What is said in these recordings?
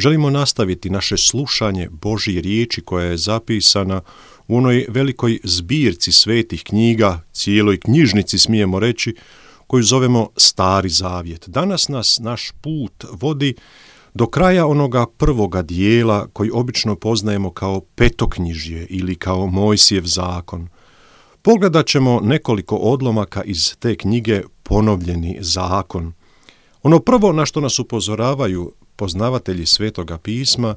želimo nastaviti naše slušanje Božje riječi koja je zapisana u onoj velikoj zbirci svetih knjiga, cijeloj knjižnici smijemo reći, koju zovemo Stari zavjet. Danas nas naš put vodi do kraja onoga prvoga dijela koji obično poznajemo kao petoknjižje ili kao Mojsijev zakon. Pogledat ćemo nekoliko odlomaka iz te knjige Ponovljeni zakon. Ono prvo na što nas upozoravaju poznavatelji Svetoga pisma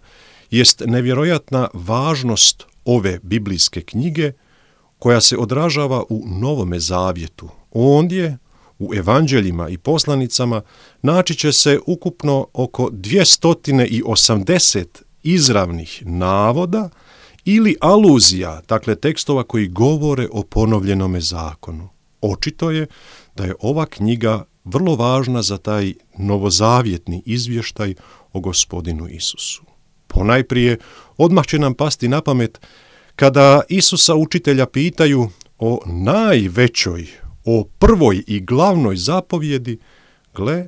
jest nevjerojatna važnost ove biblijske knjige koja se odražava u Novome zavjetu. Ondje, u evanđeljima i poslanicama, naći će se ukupno oko 280 izravnih navoda ili aluzija, dakle tekstova koji govore o ponovljenome zakonu. Očito je da je ova knjiga vrlo važna za taj novozavjetni izvještaj o Gospodinu Isusu. Ponajprije, odmah će nam pasti na pamet kada Isusa učitelja pitaju o najvećoj, o prvoj i glavnoj zapovjedi, gle,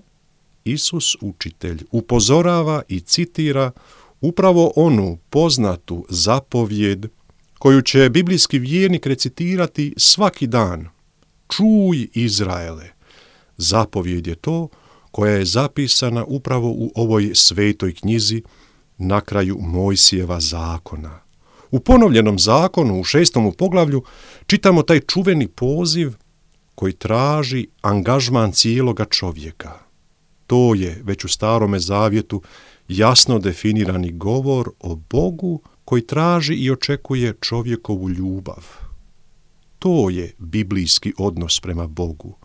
Isus učitelj upozorava i citira upravo onu poznatu zapovjed koju će biblijski vjernik recitirati svaki dan. Čuj, Izraele! Zapovjed je to koja je zapisana upravo u ovoj svetoj knjizi na kraju Mojsijeva zakona. U ponovljenom zakonu, u 6. poglavlju, čitamo taj čuveni poziv koji traži angažman cijeloga čovjeka. To je već u Starome zavjetu jasno definirani govor o Bogu koji traži i očekuje čovjekovu ljubav. To je biblijski odnos prema Bogu.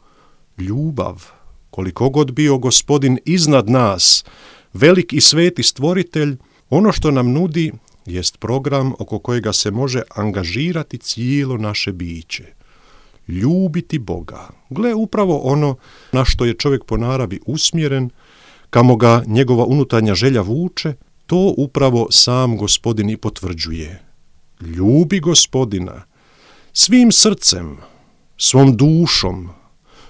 Ljubav, koliko god bio Gospodin iznad nas, velik i sveti stvoritelj, ono što nam nudi jest program oko kojega se može angažirati cijelo naše biće. Ljubiti Boga. Gle, upravo ono na što je čovjek po naravi usmjeren, kamo ga njegova unutarnja želja vuče, to upravo sam Gospodin i potvrđuje. Ljubi Gospodina svim srcem, svom dušom,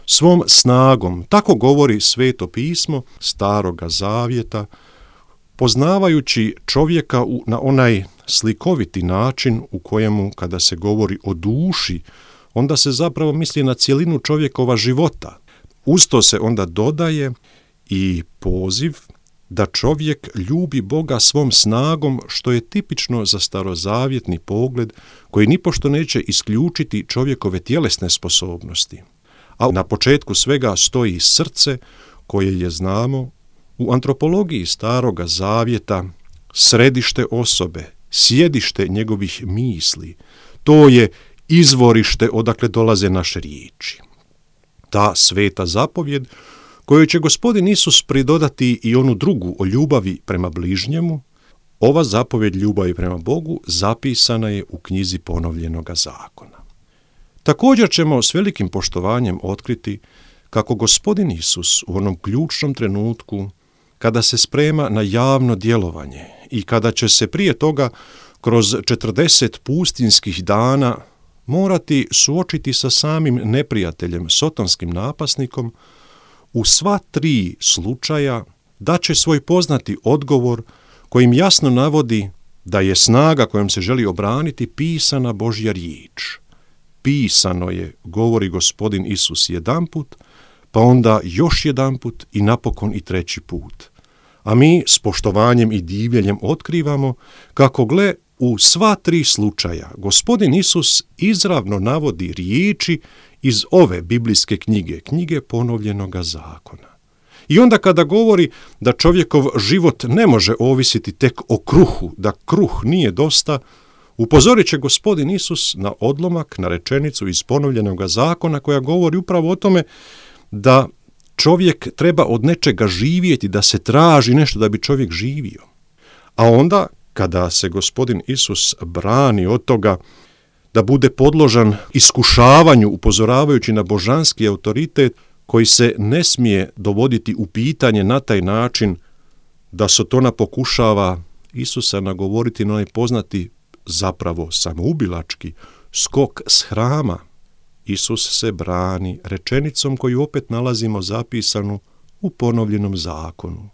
svom snagom. Tako govori Sveto pismo Staroga zavjeta, poznavajući čovjeka na onaj slikoviti način u kojemu kada se govori o duši, onda se zapravo misli na cjelinu čovjekova života. Uz to se onda dodaje i poziv da čovjek ljubi Boga svom snagom, što je tipično za starozavjetni pogled koji nipošto neće isključiti čovjekove tjelesne sposobnosti. A na početku svega stoji srce koje je, znamo, u antropologiji Staroga zavjeta središte osobe, sjedište njegovih misli. To je izvorište odakle dolaze naše riječi. Ta sveta zapovjed kojoj će Gospodin Isus pridodati i onu drugu o ljubavi prema bližnjemu, ova zapovjed ljubavi prema Bogu zapisana je u knjizi Ponovljenoga zakona. Također ćemo s velikim poštovanjem otkriti kako Gospodin Isus u onom ključnom trenutku, kada se sprema na javno djelovanje i kada će se prije toga kroz 40 pustinskih dana morati suočiti sa samim neprijateljem, sotonskim napasnikom, u sva 3 slučaja daće svoj poznati odgovor kojim jasno navodi da je snaga kojom se želi obraniti pisana Božja riječ. Pisano je, govori Gospodin Isus jedanput, pa onda još jedanput i napokon i 3. put. A mi s poštovanjem i divljenjem otkrivamo kako, gle, u sva 3 slučaja Gospodin Isus izravno navodi riječi iz ove biblijske knjige, knjige Ponovljenoga zakona. I onda kada govori da čovjekov život ne može ovisiti tek o kruhu, da kruh nije dosta, upozorit će Gospodin Isus na odlomak, na rečenicu iz Ponovljenoga zakona koja govori upravo o tome da čovjek treba od nečega živjeti, da se traži nešto da bi čovjek živio. A onda, kada se Gospodin Isus brani od toga da bude podložan iskušavanju, upozoravajući na božanski autoritet koji se ne smije dovoditi u pitanje na taj način da Sotona pokušava Isusa nagovoriti na onaj poznati, zapravo samoubilački, skok s hrama. Isus se brani rečenicom koju opet nalazimo zapisanu u Ponovljenom zakonu.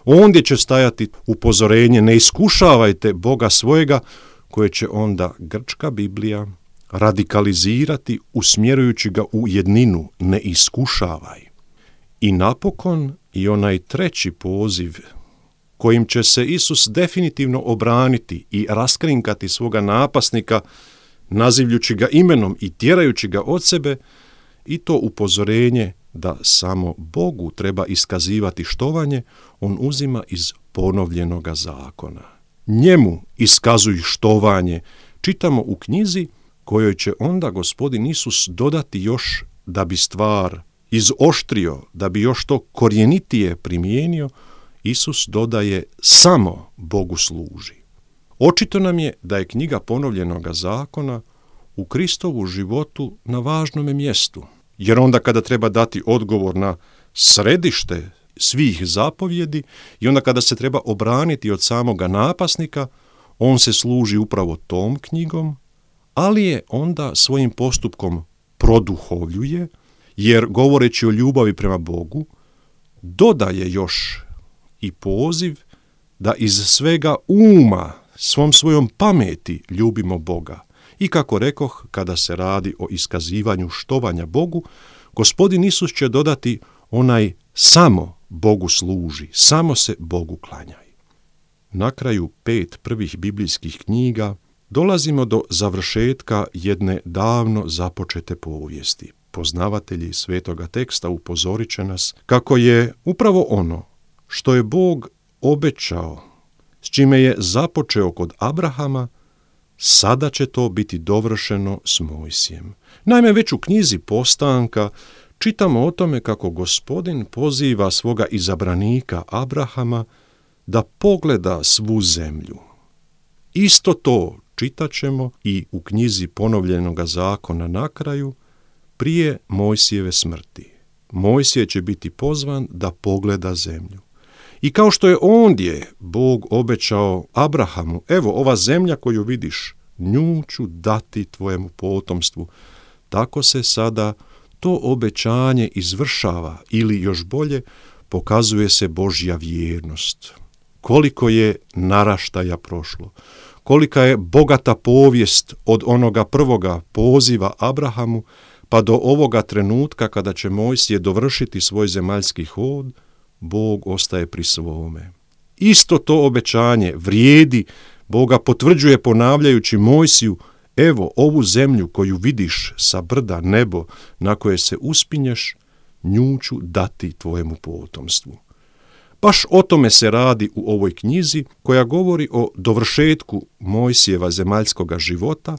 Ondje će stajati upozorenje, ne iskušavajte Boga svojega, koje će onda grčka Biblija radikalizirati usmjerujući ga u jedninu, ne iskušavaj. I napokon i onaj treći poziv kojim će se Isus definitivno obraniti i raskrinkati svoga napasnika, nazivljući ga imenom i tjerajući ga od sebe, i to upozorenje da samo Bogu treba iskazivati štovanje, on uzima iz ponovljenoga zakona. Njemu iskazuj štovanje, čitamo u knjizi kojoj će onda Gospodin Isus dodati još da bi stvar izoštrio, da bi još to korjenitije primijenio. Isus dodaje samo Bogu služi. Očito nam je da je knjiga ponovljenoga zakona u Kristovu životu na važnome mjestu, jer onda kada treba dati odgovor na središte svih zapovjedi i onda kada se treba obraniti od samoga napasnika, on se služi upravo tom knjigom, ali je onda svojim postupkom produhovljuje, jer govoreći o ljubavi prema Bogu, dodaje još i poziv da iz svega uma, svom svojom pameti ljubimo Boga. I kako rekoh, kada se radi o iskazivanju štovanja Bogu, Gospodin Isus će dodati onaj samo Bogu služi, samo se Bogu klanjaj. Na kraju 5 prvih biblijskih knjiga dolazimo do završetka jedne davno započete povijesti. Poznavatelji svetoga teksta upozorit će nas kako je upravo ono što je Bog obećao, s čime je započeo kod Abrahama, sada će to biti dovršeno s Mojsijem. Naime, već u knjizi Postanka čitamo o tome kako Gospodin poziva svoga izabranika Abrahama da pogleda svu zemlju. Isto to čitat ćemo i u knjizi ponovljenoga zakona na kraju, prije Mojsijeve smrti. Mojsije će biti pozvan da pogleda zemlju. I kao što je ondje Bog obećao Abrahamu, evo ova zemlja koju vidiš, nju ću dati tvojemu potomstvu, tako se sada to obećanje izvršava ili još bolje pokazuje se Božja vjernost. Koliko je naraštaja prošlo, kolika je bogata povijest od onoga prvoga poziva Abrahamu pa do ovoga trenutka kada će Mojsije dovršiti svoj zemaljski hod, Bog ostaje pri svome. Isto to obećanje vrijedi, Boga potvrđuje ponavljajući Mojsiju, evo ovu zemlju koju vidiš sa brda nebo na koje se uspinješ, nju ću dati tvojemu potomstvu. Baš o tome se radi u ovoj knjizi koja govori o dovršetku Mojsijeva zemaljskoga života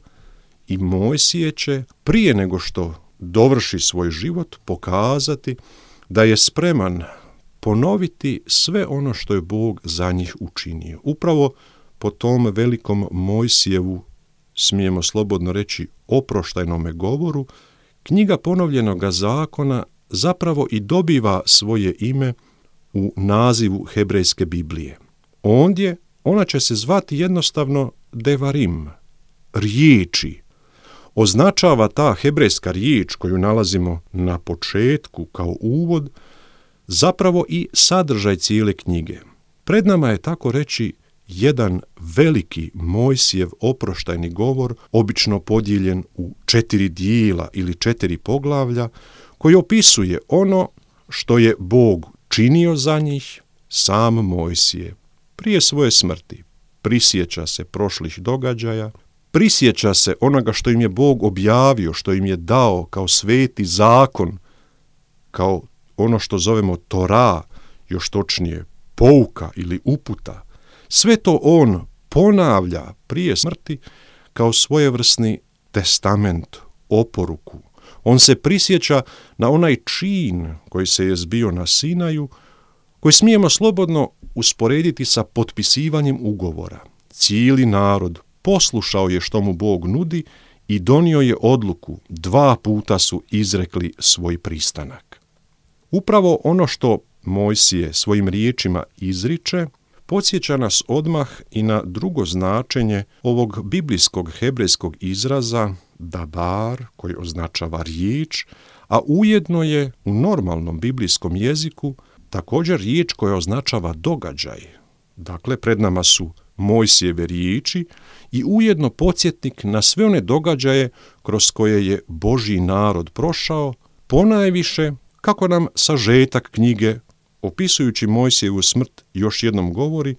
i Mojsije će prije nego što dovrši svoj život pokazati da je spreman ponoviti sve ono što je Bog za njih učinio. Upravo po tom velikom Mojsijevu, smijemo slobodno reći, oproštajnome govoru, knjiga ponovljenoga zakona zapravo i dobiva svoje ime u nazivu hebrejske Biblije. Ondje ona će se zvati jednostavno Devarim, riječi. Označava ta hebrejska riječ koju nalazimo na početku kao uvod, zapravo i sadržaj cijele knjige. Pred nama je tako reći jedan veliki Mojsijev oproštajni govor, obično podijeljen u 4 dijela ili 4 poglavlja, koji opisuje ono što je Bog činio za njih, sam Mojsije. Prije svoje smrti prisjeća se prošlih događaja, prisjeća se onoga što im je Bog objavio, što im je dao kao sveti zakon, kao ono što zovemo Tora, još točnije pouka ili uputa. Sve to on ponavlja prije smrti kao svojevrsni testament, oporuku. On se prisjeća na onaj čin koji se je zbio na Sinaju, koji smijemo slobodno usporediti sa potpisivanjem ugovora. Cijeli narod poslušao je što mu Bog nudi i donio je odluku, 2 puta su izrekli svoj pristanak. Upravo ono što Mojsije svojim riječima izriče, podsjeća nas odmah i na drugo značenje ovog biblijskog hebrejskog izraza dabar, koji označava riječ, a ujedno je u normalnom biblijskom jeziku također riječ koja označava događaj. Dakle, pred nama su Mojsijeve riječi i ujedno podsjetnik na sve one događaje kroz koje je Božji narod prošao, ponajviše, kako nam sažetak knjige, opisujući Mojsijevu smrt, još jednom govori,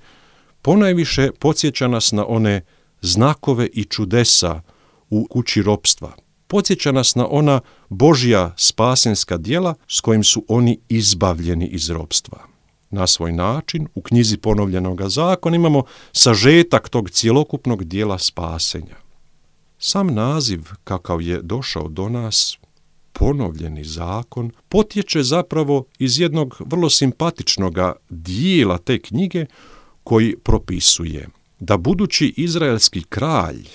ponajviše podsjeća nas na one znakove i čudesa u kući ropstva. Podsjeća nas na ona Božja spasenska djela s kojim su oni izbavljeni iz ropstva. Na svoj način, u knjizi Ponovljenoga zakona imamo sažetak tog cjelokupnog dijela spasenja. Sam naziv, kakav je došao do nas, Ponovljeni zakon, potječe zapravo iz jednog vrlo simpatičnog dijela te knjige koji propisuje da budući izraelski kralj,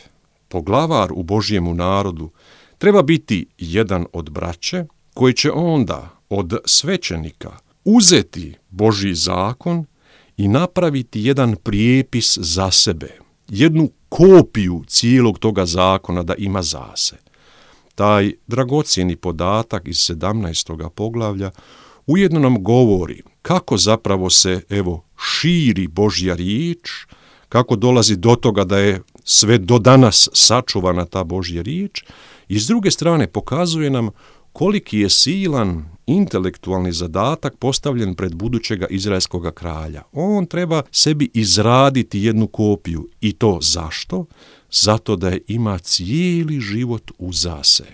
poglavar u Božjemu narodu, treba biti jedan od braće koji će onda od svećenika uzeti Božji zakon i napraviti jedan prijepis za sebe, jednu kopiju cijelog toga zakona da ima za se. Taj dragocjeni podatak iz 17. poglavlja ujedno nam govori kako zapravo se, širi Božja riječ, kako dolazi do toga da je sve do danas sačuvana ta Božja riječ i s druge strane pokazuje nam koliki je silan intelektualni zadatak postavljen pred budućega izraelskog kralja. On treba sebi izraditi jednu kopiju. I to zašto? Zato da je ima cijeli život uza se.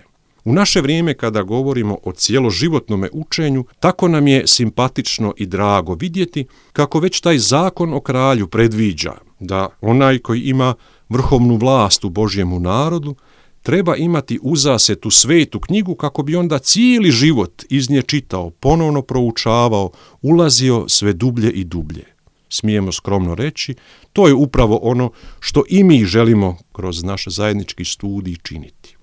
U naše vrijeme kada govorimo o cjeloživotnome učenju, tako nam je simpatično i drago vidjeti kako već taj zakon o kralju predviđa da onaj koji ima vrhovnu vlast u Božjemu narodu treba imati uza se tu svetu knjigu kako bi onda cijeli život iz nje čitao, ponovno proučavao, ulazio sve dublje i dublje. Smijemo skromno reći, to je upravo ono što i mi želimo kroz naš zajednički studij činiti.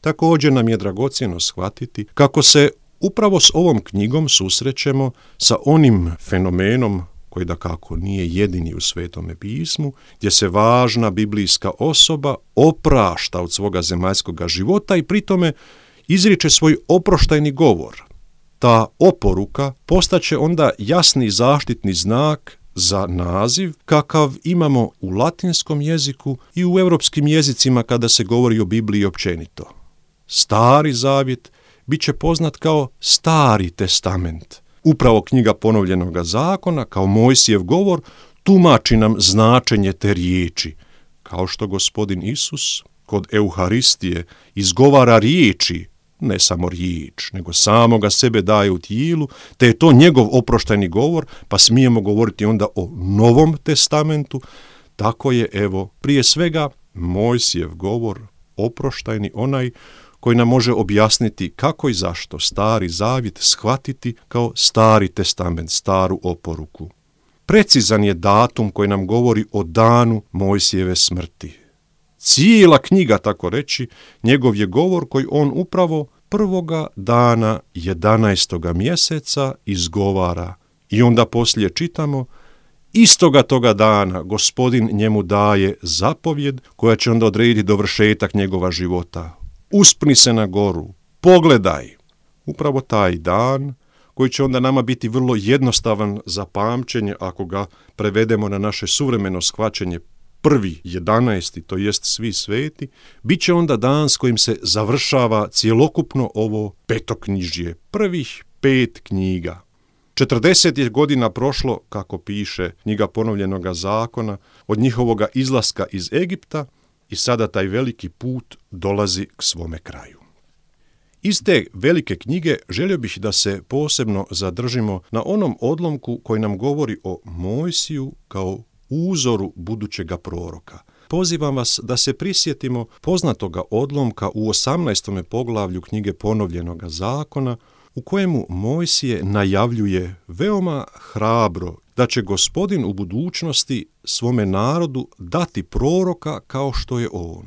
Također nam je dragocjeno shvatiti kako se upravo s ovom knjigom susrećemo sa onim fenomenom koji dakako nije jedini u Svetome pismu, gdje se važna biblijska osoba oprašta od svoga zemaljskoga života i pritome izriče svoj oproštajni govor. Ta oporuka postaće onda jasni zaštitni znak za naziv kakav imamo u latinskom jeziku i u europskim jezicima kada se govori o Bibliji općenito. Stari zavjet bit će poznat kao Stari testament. Upravo knjiga Ponovljenoga zakona, kao Mojsijev govor, tumači nam značenje te riječi. Kao što Gospodin Isus kod Euharistije izgovara riječi, ne samo riječ, nego samoga sebe daje u tijelu, te je to njegov oproštajni govor, pa smijemo govoriti onda o Novom testamentu, tako je, prije svega Mojsijev govor oproštajni onaj koji nam može objasniti kako i zašto Stari zavjet shvatiti kao Stari testament, staru oporuku. Precizan je datum koji nam govori o danu Mojsijeve smrti. Cijela knjiga, tako reći, njegov je govor koji on upravo prvoga dana 11. mjeseca izgovara. I onda poslije čitamo, istoga toga dana Gospodin njemu daje zapovjed koja će onda odrediti dovršetak njegova života. Uspni se na goru, pogledaj. Upravo taj dan koji će onda nama biti vrlo jednostavan za pamćenje ako ga prevedemo na naše suvremeno shvaćenje 1.11., to jest svi sveti, bit će onda dan s kojim se završava cjelokupno ovo petoknjižje, prvih 5 knjiga. 40 je godina prošlo, kako piše knjiga Ponovljenoga zakona, od njihovoga izlaska iz Egipta i sada taj veliki put dolazi k svome kraju. Iz te velike knjige želio bih da se posebno zadržimo na onom odlomku koji nam govori o Mojsiju kao uzoru budućega proroka. Pozivam vas da se prisjetimo poznatoga odlomka u 18. poglavlju knjige Ponovljenoga zakona, u kojemu Mojsije najavljuje veoma hrabro da će Gospodin u budućnosti svome narodu dati proroka kao što je on.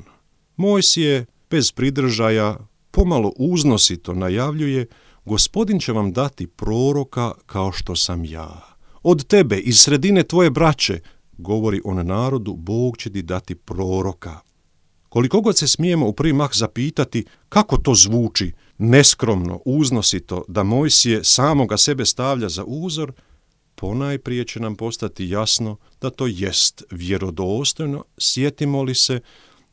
Mojsije bez pridržaja pomalo uznosito najavljuje, Gospodin će vam dati proroka kao što sam ja. Od tebe, iz sredine tvoje braće, govori on narodu, Bog će ti dati proroka. Koliko god se smijemo u prvi mah zapitati kako to zvuči neskromno, uznosito, da Mojsije samoga sebe stavlja za uzor, ponajprije će nam postati jasno da to jest vjerodostojno, sjetimo li se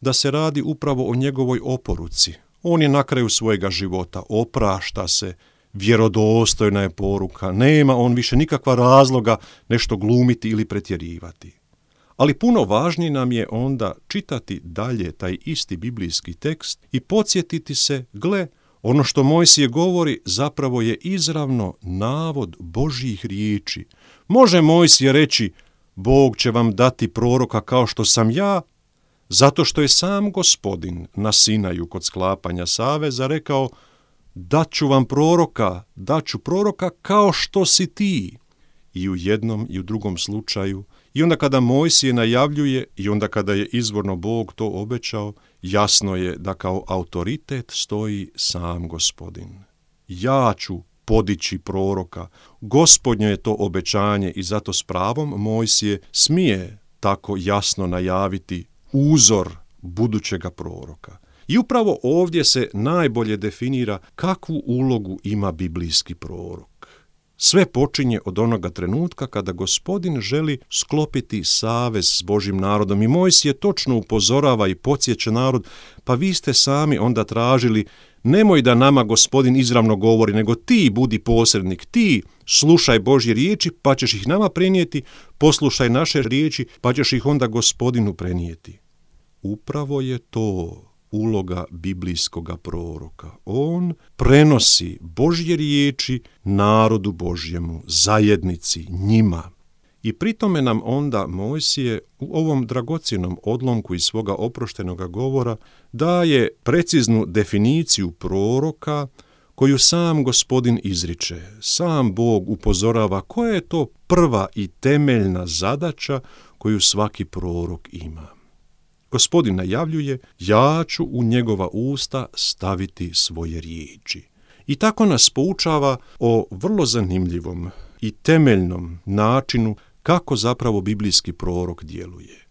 da se radi upravo o njegovoj oporuci. On je na kraju svojega života, oprašta se, vjerodostojna je poruka, nema on više nikakva razloga nešto glumiti ili pretjerivati. Ali puno važnije nam je onda čitati dalje taj isti biblijski tekst i podsjetiti se, gle, ono što Mojsije govori zapravo je izravno navod Božjih riječi. Može Mojsije reći, Bog će vam dati proroka kao što sam ja, zato što je sam Gospodin na Sinaju kod sklapanja saveza rekao, daću vam proroka, daću proroka kao što si ti. I u jednom i u drugom slučaju, i onda kada Mojsije najavljuje i onda kada je izvorno Bog to obećao, jasno je da kao autoritet stoji sam Gospodin. Ja ću podići proroka. Gospodnje je to obećanje i zato s pravom Mojsije smije tako jasno najaviti uzor budućega proroka. I upravo ovdje se najbolje definira kakvu ulogu ima biblijski prorok. Sve počinje od onoga trenutka kada Gospodin želi sklopiti savez s Božjim narodom i Mojsije točno upozorava i podsjeća narod, pa vi ste sami onda tražili, nemoj da nama Gospodin izravno govori, nego ti budi posrednik, ti slušaj Božje riječi pa ćeš ih nama prenijeti, poslušaj naše riječi pa ćeš ih onda Gospodinu prenijeti. Upravo je to uloga biblijskoga proroka. On prenosi Božje riječi narodu Božjemu, zajednici, njima. I pri tome nam onda Mojsije u ovom dragocjenom odlomku iz svoga oproštenoga govora daje preciznu definiciju proroka koju sam Gospodin izriče. Sam Bog upozorava koja je to prva i temeljna zadaća koju svaki prorok ima. Gospodin najavljuje, ja ću u njegova usta staviti svoje riječi. I tako nas poučava o vrlo zanimljivom i temeljnom načinu kako zapravo biblijski prorok djeluje.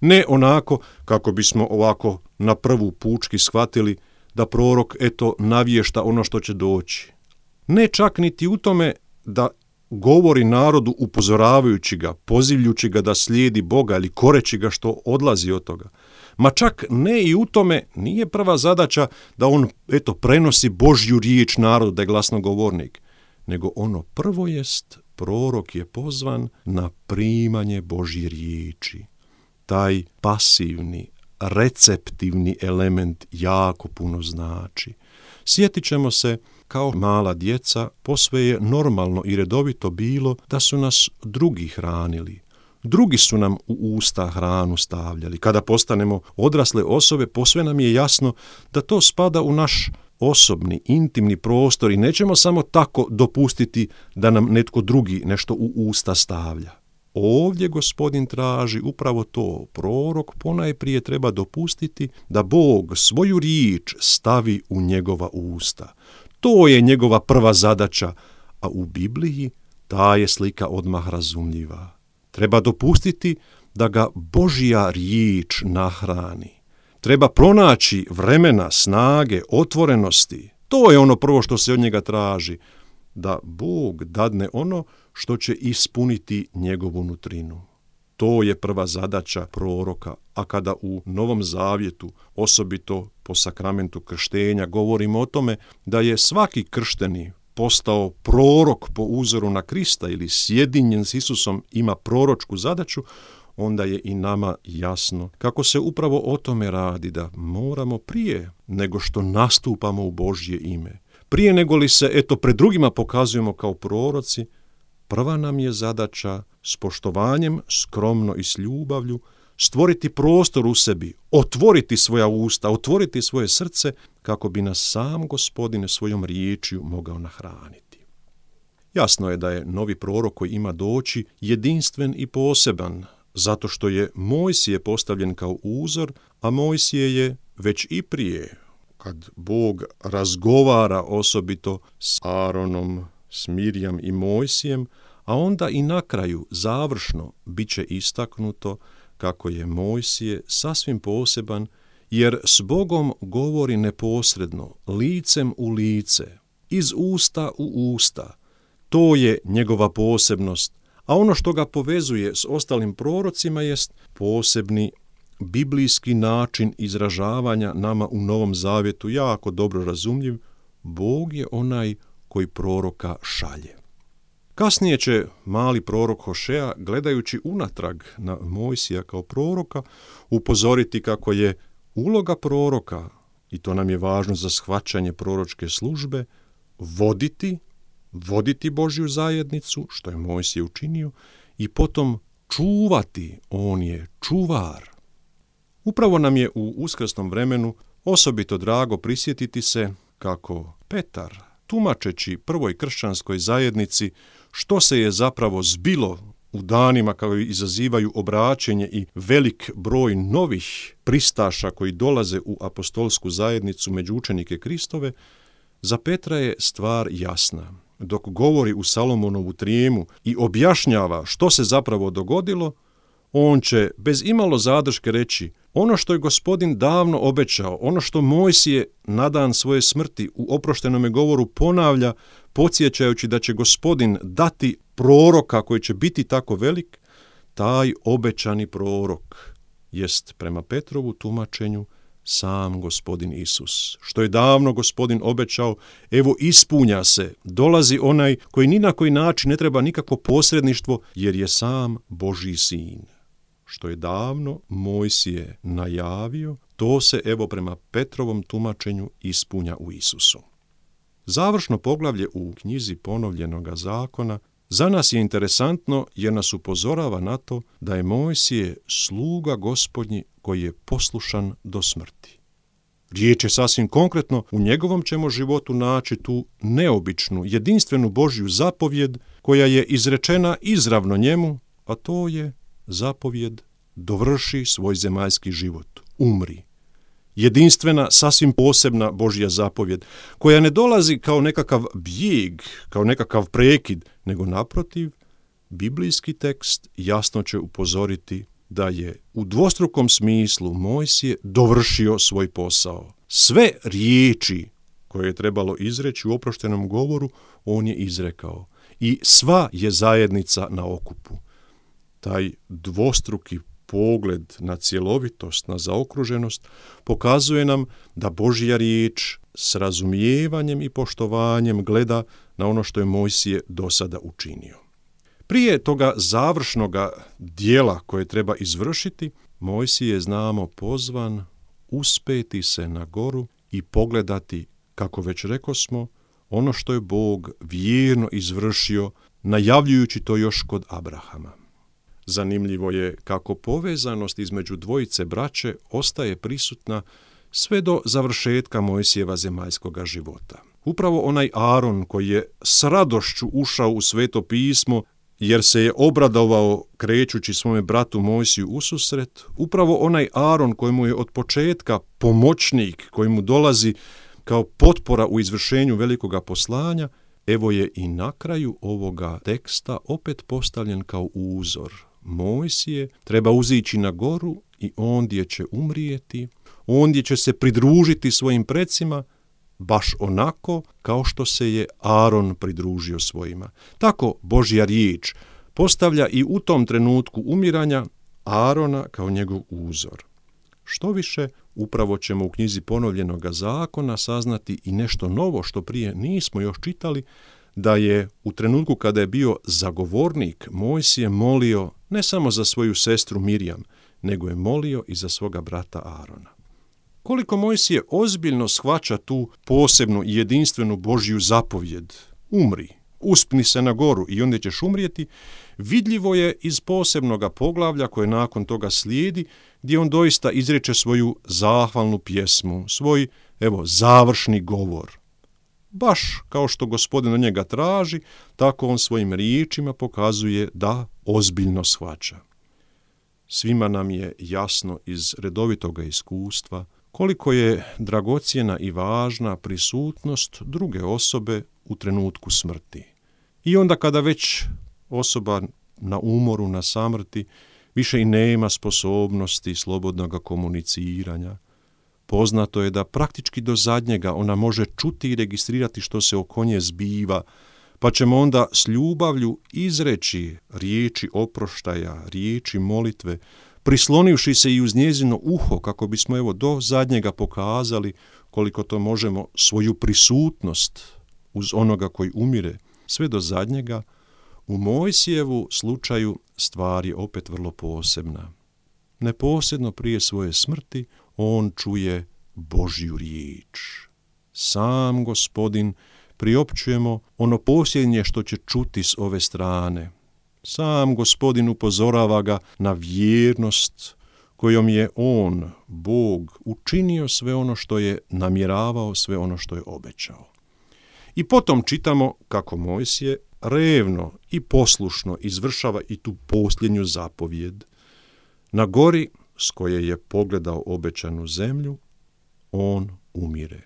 Ne onako kako bismo ovako na prvu pučki shvatili da prorok navješta ono što će doći. Ne čak niti u tome da govori narodu upozoravajući ga, pozivljući ga da slijedi Boga ili koreći ga što odlazi od toga. Ma čak ne i u tome nije prva zadaća da on prenosi Božju riječ narodu, da je glasnogovornik, nego ono prvo jest, prorok je pozvan na primanje Božje riječi. Taj pasivni, receptivni element jako puno znači. Sjetit ćemo se, kao mala djeca, posve je normalno i redovito bilo da su nas drugi hranili. Drugi su nam u usta hranu stavljali. Kada postanemo odrasle osobe, posve nam je jasno da to spada u naš osobni, intimni prostor i nećemo samo tako dopustiti da nam netko drugi nešto u usta stavlja. Ovdje Gospodin traži upravo to. Prorok ponajprije treba dopustiti da Bog svoju riječ stavi u njegova usta. To je njegova prva zadaća, a u Bibliji ta je slika odmah razumljiva. Treba dopustiti da ga Božja riječ nahrani. Treba pronaći vremena, snage, otvorenosti. To je ono prvo što se od njega traži, da Bog dadne ono što će ispuniti njegovu nutrinu. To je prva zadaća proroka, a kada u Novom Zavjetu, osobito po sakramentu krštenja, govorimo o tome da je svaki kršteni postao prorok po uzoru na Krista ili sjedinjen s Isusom ima proročku zadaću, onda je i nama jasno kako se upravo o tome radi, da moramo prije nego što nastupamo u Božje ime, prije nego li se pred drugima pokazujemo kao proroci, prva nam je zadaća s poštovanjem, skromno i s ljubavlju stvoriti prostor u sebi, otvoriti svoja usta, otvoriti svoje srce kako bi nas sam Gospodin svojom riječju mogao nahraniti. Jasno je da je novi prorok koji ima doći jedinstven i poseban, zato što je Mojsije postavljen kao uzor, a Mojsije je već i prije, kad Bog razgovara osobito s Aaronom, s Mirjam i Mojsijem, a onda i na kraju, završno, bit će istaknuto kako je Mojsije sasvim poseban, jer s Bogom govori neposredno, licem u lice, iz usta u usta. To je njegova posebnost, a ono što ga povezuje s ostalim prorocima jest posebni biblijski način izražavanja nama u Novom Zavjetu jako dobro razumljiv. Bog je onaj koji proroka šalje. Kasnije će mali prorok Hošea, gledajući unatrag na Mojsija kao proroka, upozoriti kako je uloga proroka, i to nam je važno za shvaćanje proročke službe, voditi Božju zajednicu, što je Mojsije učinio, i potom čuvati, on je čuvar. Upravo nam je u uskrsnom vremenu osobito drago prisjetiti se kako Petar, tumačeći prvoj kršćanskoj zajednici što se je zapravo zbilo u danima koji izazivaju obraćenje i velik broj novih pristaša koji dolaze u apostolsku zajednicu među učenike Kristove, za Petra je stvar jasna. Dok govori u Salomonovu trijemu i objašnjava što se zapravo dogodilo, on će bez imalo zadrške reći ono što je Gospodin davno obećao, ono što Mojsije na dan svoje smrti u oproštenome govoru ponavlja, podsjećajući da će Gospodin dati proroka koji će biti tako velik, taj obećani prorok jest prema Petrovu tumačenju sam Gospodin Isus. Što je davno Gospodin obećao, evo ispunja se, dolazi onaj koji ni na koji način ne treba nikakvo posredništvo, jer je sam Božji sin. Što je davno Mojsije najavio, to se evo prema Petrovom tumačenju ispunja u Isusu. Završno poglavlje u knjizi Ponovljenoga zakona za nas je interesantno jer nas upozorava na to da je Mojsije sluga Gospodnji koji je poslušan do smrti. Riječ je sasvim konkretno, u njegovom ćemo životu naći tu neobičnu, jedinstvenu Božju zapovjed koja je izrečena izravno njemu, a to je zapovjed dovrši svoj zemaljski život, umri. Jedinstvena, sasvim posebna Božja zapovjed, koja ne dolazi kao nekakav bijeg, kao nekakav prekid, nego naprotiv, biblijski tekst jasno će upozoriti da je u dvostrukom smislu Mojsije dovršio svoj posao. Sve riječi koje je trebalo izreći u oproštenom govoru, on je izrekao. I sva je zajednica na okupu. Taj dvostruki pogled na cjelovitost, na zaokruženost, pokazuje nam da Božja riječ s razumijevanjem i poštovanjem gleda na ono što je Mojsije do sada učinio. Prije toga završnoga dijela koje treba izvršiti, Mojsije je, znamo, pozvan uspeti se na goru i pogledati, kako već rekosmo, ono što je Bog vjerno izvršio, najavljujući to još kod Abrahama. Zanimljivo je kako povezanost između dvojice braće ostaje prisutna sve do završetka Mojsijeva zemaljskoga života. Upravo onaj Aron koji je s radošću ušao u Sveto pismo jer se je obradovao krećući svome bratu Mojsiju ususret, upravo onaj Aron kojemu je od početka pomoćnik, koji mu dolazi kao potpora u izvršenju velikoga poslanja, evo je i na kraju ovoga teksta opet postavljen kao uzor. Mojsije treba uzići na goru i ondje će umrijeti, ondje će se pridružiti svojim precima, baš onako kao što se je Aron pridružio svojima. Tako Božja riječ postavlja i u tom trenutku umiranja Arona kao njegov uzor. Što više, upravo ćemo u knjizi Ponovljenoga zakona saznati i nešto novo što prije nismo još čitali, da je u trenutku kada je bio zagovornik Mojsije molio ne samo za svoju sestru Mirjam, nego je molio i za svoga brata Arona. Koliko Mojsije ozbiljno shvaća tu posebnu i jedinstvenu Božju zapovjed, umri, uspni se na goru i onda ćeš umrijeti, vidljivo je iz posebnoga poglavlja koje nakon toga slijedi, gdje on doista izreče svoju zahvalnu pjesmu, svoj, završni govor. Baš kao što Gospodin od njega traži, tako on svojim riječima pokazuje da ozbiljno shvaća. Svima nam je jasno iz redovitoga iskustva koliko je dragocjena i važna prisutnost druge osobe u trenutku smrti. I onda kada već osoba na umoru, na samrti, više i nema sposobnosti slobodnog komuniciranja, poznato je da praktički do zadnjega ona može čuti i registrirati što se oko nje zbiva, pa ćemo onda s ljubavlju izreći riječi oproštaja, riječi molitve, prislonivši se i uz njezino uho kako bismo do zadnjega pokazali koliko to možemo svoju prisutnost uz onoga koji umire, sve do zadnjega. U Mojsijevu slučaju stvar je opet vrlo posebna. Neposredno prije svoje smrti on čuje Božju riječ. Sam Gospodin, priopćujemo ono posljednje što će čuti s ove strane. Sam Gospodin upozorava ga na vjernost kojom je on, Bog, učinio sve ono što je namjeravao, sve ono što je obećao. I potom čitamo kako Mojsije revno i poslušno izvršava i tu posljednju zapovjed. Na gori s koje je pogledao obećanu zemlju, on umire.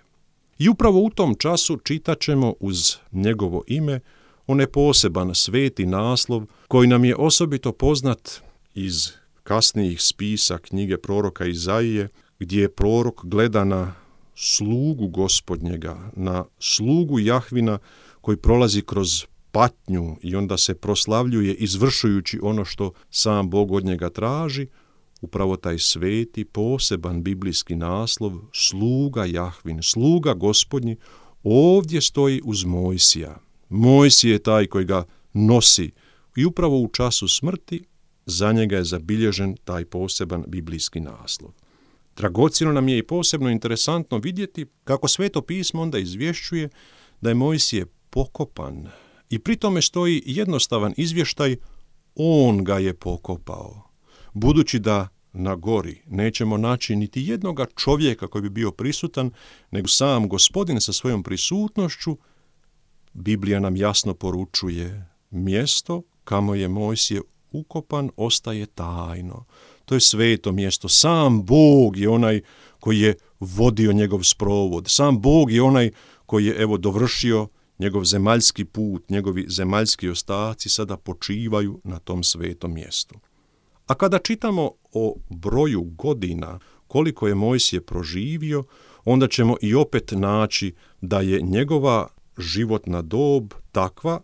I upravo u tom času čitat ćemo uz njegovo ime onaj poseban sveti naslov koji nam je osobito poznat iz kasnijih spisa knjige proroka Izaije, gdje prorok gleda na slugu Gospodnjega, na slugu Jahvina koji prolazi kroz patnju i onda se proslavljuje izvršujući ono što sam Bog od njega traži. Upravo taj sveti, poseban biblijski naslov, sluga Jahvin, sluga Gospodnji, ovdje stoji uz Mojsija. Mojsije je taj koji ga nosi i upravo u času smrti za njega je zabilježen taj poseban biblijski naslov. Dragocjeno nam je i posebno interesantno vidjeti kako Sveto pismo onda izvješćuje da je Mojsije pokopan i pri tome stoji jednostavan izvještaj, on ga je pokopao. Budući da na gori nećemo naći niti jednoga čovjeka koji bi bio prisutan, nego sam Gospodin sa svojom prisutnošću, Biblija nam jasno poručuje, mjesto kamo je Mojsije ukopan ostaje tajno. To je sveto mjesto. Sam Bog je onaj koji je vodio njegov sprovod. Sam Bog je onaj koji je dovršio njegov zemaljski put, njegovi zemaljski ostaci sada počivaju na tom svetom mjestu. A kada čitamo o broju godina koliko je Mojsije proživio, onda ćemo i opet naći da je njegova životna dob takva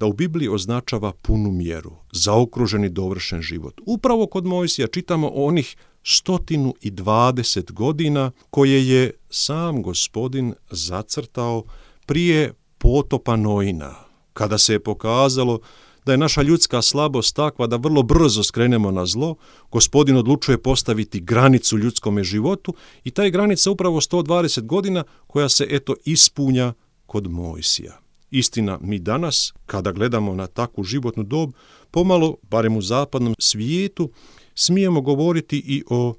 da u Bibliji označava punu mjeru, zaokruženi dovršen život. Upravo kod Mojsija čitamo o onih 120 godina koje je sam Gospodin zacrtao prije potopa Noina, kada se je pokazalo da je naša ljudska slabost takva da vrlo brzo skrenemo na zlo. Gospodin odlučuje postaviti granicu ljudskome životu i ta je granica upravo 120 godina koja se ispunja kod Mojsija. Istina, mi danas, kada gledamo na takvu životnu dob, pomalo, barem u zapadnom svijetu, smijemo govoriti i o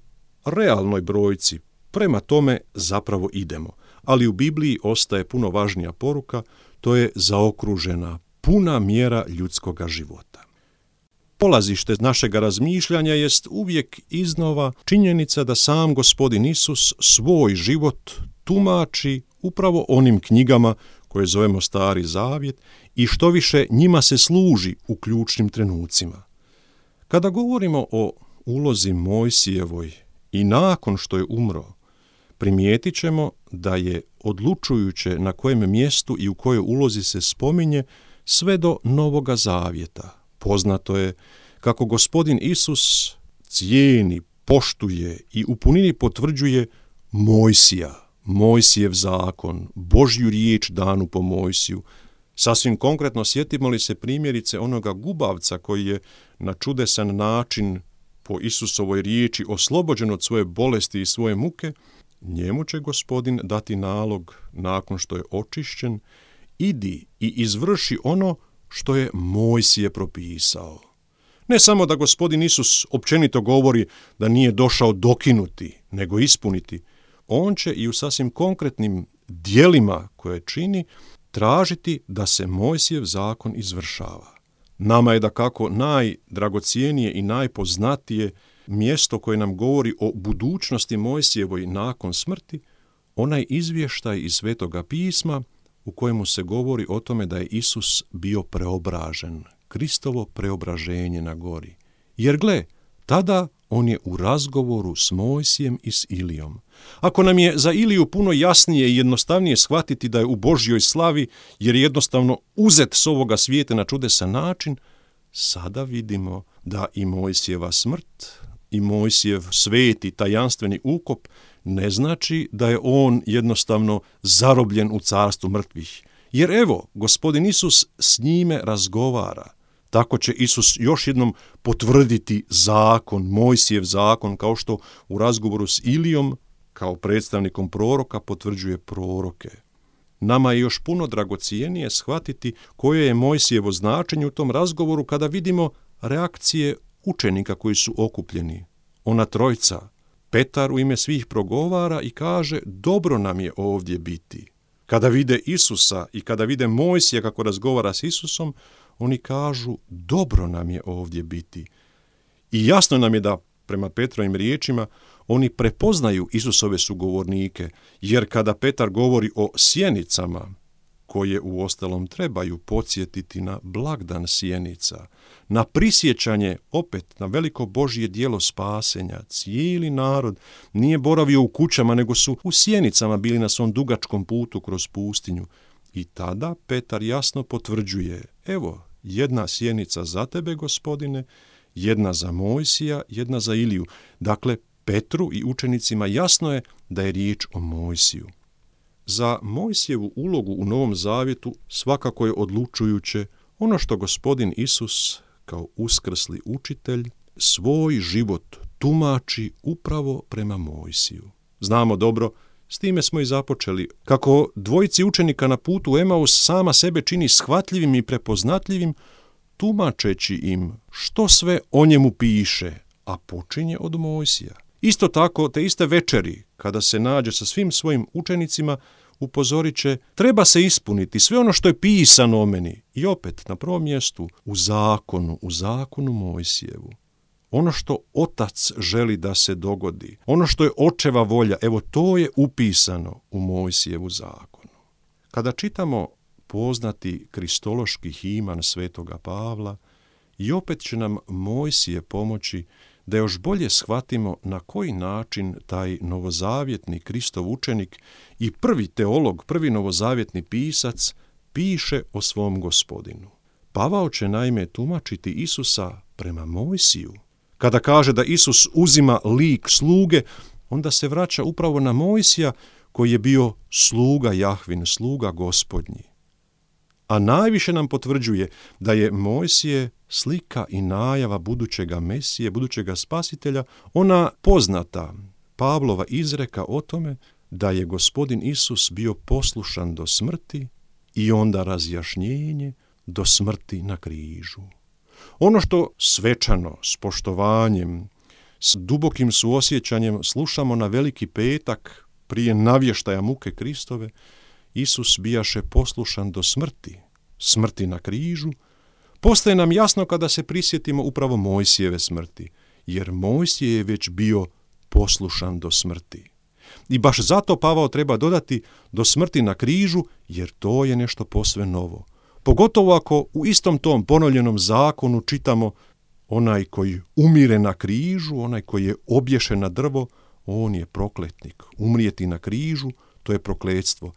realnoj brojci. Prema tome zapravo idemo. Ali u Bibliji ostaje puno važnija poruka, to je zaokružena puna mjera ljudskoga života. Polazište našega razmišljanja jest uvijek iznova činjenica da sam Gospodin Isus svoj život tumači upravo onim knjigama koje zovemo Stari Zavjet i što više njima se služi u ključnim trenucima. Kada govorimo o ulozi Mojsijevoj i nakon što je umro, primijetit ćemo da je odlučujuće na kojem mjestu i u kojoj ulozi se spominje sve do Novoga Zavjeta. Poznato je kako Gospodin Isus cijeni, poštuje i u punini potvrđuje Mojsija, Mojsijev zakon, Božju riječ danu po Mojsiju. Sasvim konkretno sjetimo li se primjerice onoga gubavca koji je na čudesan način po Isusovoj riječi oslobođen od svoje bolesti i svoje muke, njemu će Gospodin dati nalog nakon što je očišćen, idi i izvrši ono što je Mojsije propisao. Ne samo da Gospodin Isus općenito govori da nije došao dokinuti, nego ispuniti. On će i u sasvim konkretnim djelima koje čini tražiti da se Mojsijev zakon izvršava. Nama je dakako najdragocijenije i najpoznatije mjesto koje nam govori o budućnosti Mojsijevoj nakon smrti, onaj izvještaj iz Svetoga pisma u kojemu se govori o tome da je Isus bio preobražen, Kristovo preobraženje na gori. Jer gle, tada on je u razgovoru s Mojsijem i s Ilijom. Ako nam je za Iliju puno jasnije i jednostavnije shvatiti da je u Božjoj slavi, jer je jednostavno uzet s ovoga svijeta na čudesan način, sada vidimo da i Mojsijeva smrt i Mojsijev sveti tajanstveni ukop ne znači da je on jednostavno zarobljen u carstvu mrtvih. Jer evo, Gospodin Isus s njime razgovara. Tako će Isus još jednom potvrditi zakon, Mojsijev zakon, kao što u razgovoru s Ilijom, kao predstavnikom proroka, potvrđuje proroke. Nama je još puno dragocijenije shvatiti koje je Mojsijevo značenje u tom razgovoru kada vidimo reakcije učenika koji su okupljeni. Ona trojica, Petar u ime svih progovara i kaže: dobro nam je ovdje biti. Kada vide Isusa i kada vide Mojsija kako razgovara s Isusom, oni kažu: dobro nam je ovdje biti. I jasno nam je da, prema Petrovim riječima, oni prepoznaju Isusove sugovornike, jer kada Petar govori o sjenicama, koje uostalom trebaju podsjetiti na blagdan sjenica, na prisjećanje opet na veliko Božje djelo spasenja, cijeli narod nije boravio u kućama, nego su u sjenicama bili na svom dugačkom putu kroz pustinju. I tada Petar jasno potvrđuje: evo, jedna sjenica za tebe, Gospodine, jedna za Mojsija, jedna za Iliju. Dakle, Petru i učenicima jasno je da je riječ o Mojsiju. Za Mojsijevu ulogu u Novom Zavjetu svakako je odlučujuće ono što Gospodin Isus, kao uskrsli učitelj, svoj život tumači upravo prema Mojsiju. Znamo dobro, s time smo i započeli, kako dvojici učenika na putu u Emaus sama sebe čini shvatljivim i prepoznatljivim, tumačeći im što sve o njemu piše, a počinje od Mojsija. Isto tako, te iste večeri, kada se nađe sa svim svojim učenicima, upozorit će: treba se ispuniti sve ono što je pisano o meni. I opet, na prvom mjestu, u zakonu Mojsijevu. Ono što Otac želi da se dogodi, ono što je Očeva volja, evo to je upisano u Mojsijevu zakonu. Kada čitamo poznati kristološki himan svetoga Pavla, i opet će nam Mojsije pomoći da još bolje shvatimo na koji način taj novozavjetni Kristov učenik i prvi teolog, prvi novozavjetni pisac piše o svom Gospodinu. Pavao će naime tumačiti Isusa prema Mojsiju. Kada kaže da Isus uzima lik sluge, onda se vraća upravo na Mojsija koji je bio sluga Jahvin, sluga Gospodnji. A najviše nam potvrđuje da je Mojsije slika i najava budućega Mesije, budućega Spasitelja, ona poznata Pavlova izreka o tome da je Gospodin Isus bio poslušan do smrti i onda razjašnjenje do smrti na križu. Ono što svečano, s poštovanjem, s dubokim suosjećanjem slušamo na Veliki petak prije navještaja muke Kristove, Isus bijaše poslušan do smrti, smrti na križu, postaje nam jasno kada se prisjetimo upravo Mojsijeve smrti, jer Mojsije je već bio poslušan do smrti. I baš zato Pavao treba dodati do smrti na križu, jer to je nešto posve novo. Pogotovo ako u istom tom ponovljenom zakonu čitamo: onaj koji umire na križu, onaj koji je obješen na drvo, on je prokletnik. Umrijeti na križu, to je prokletstvo.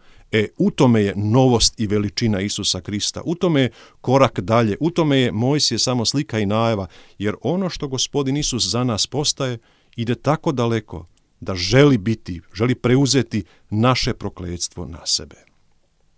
U tome je novost i veličina Isusa Krista. U tome je korak dalje. U tome je Mojsije samo slika i najava. Jer ono što Gospodin Isus za nas postaje, ide tako daleko da želi preuzeti naše prokletstvo na sebe.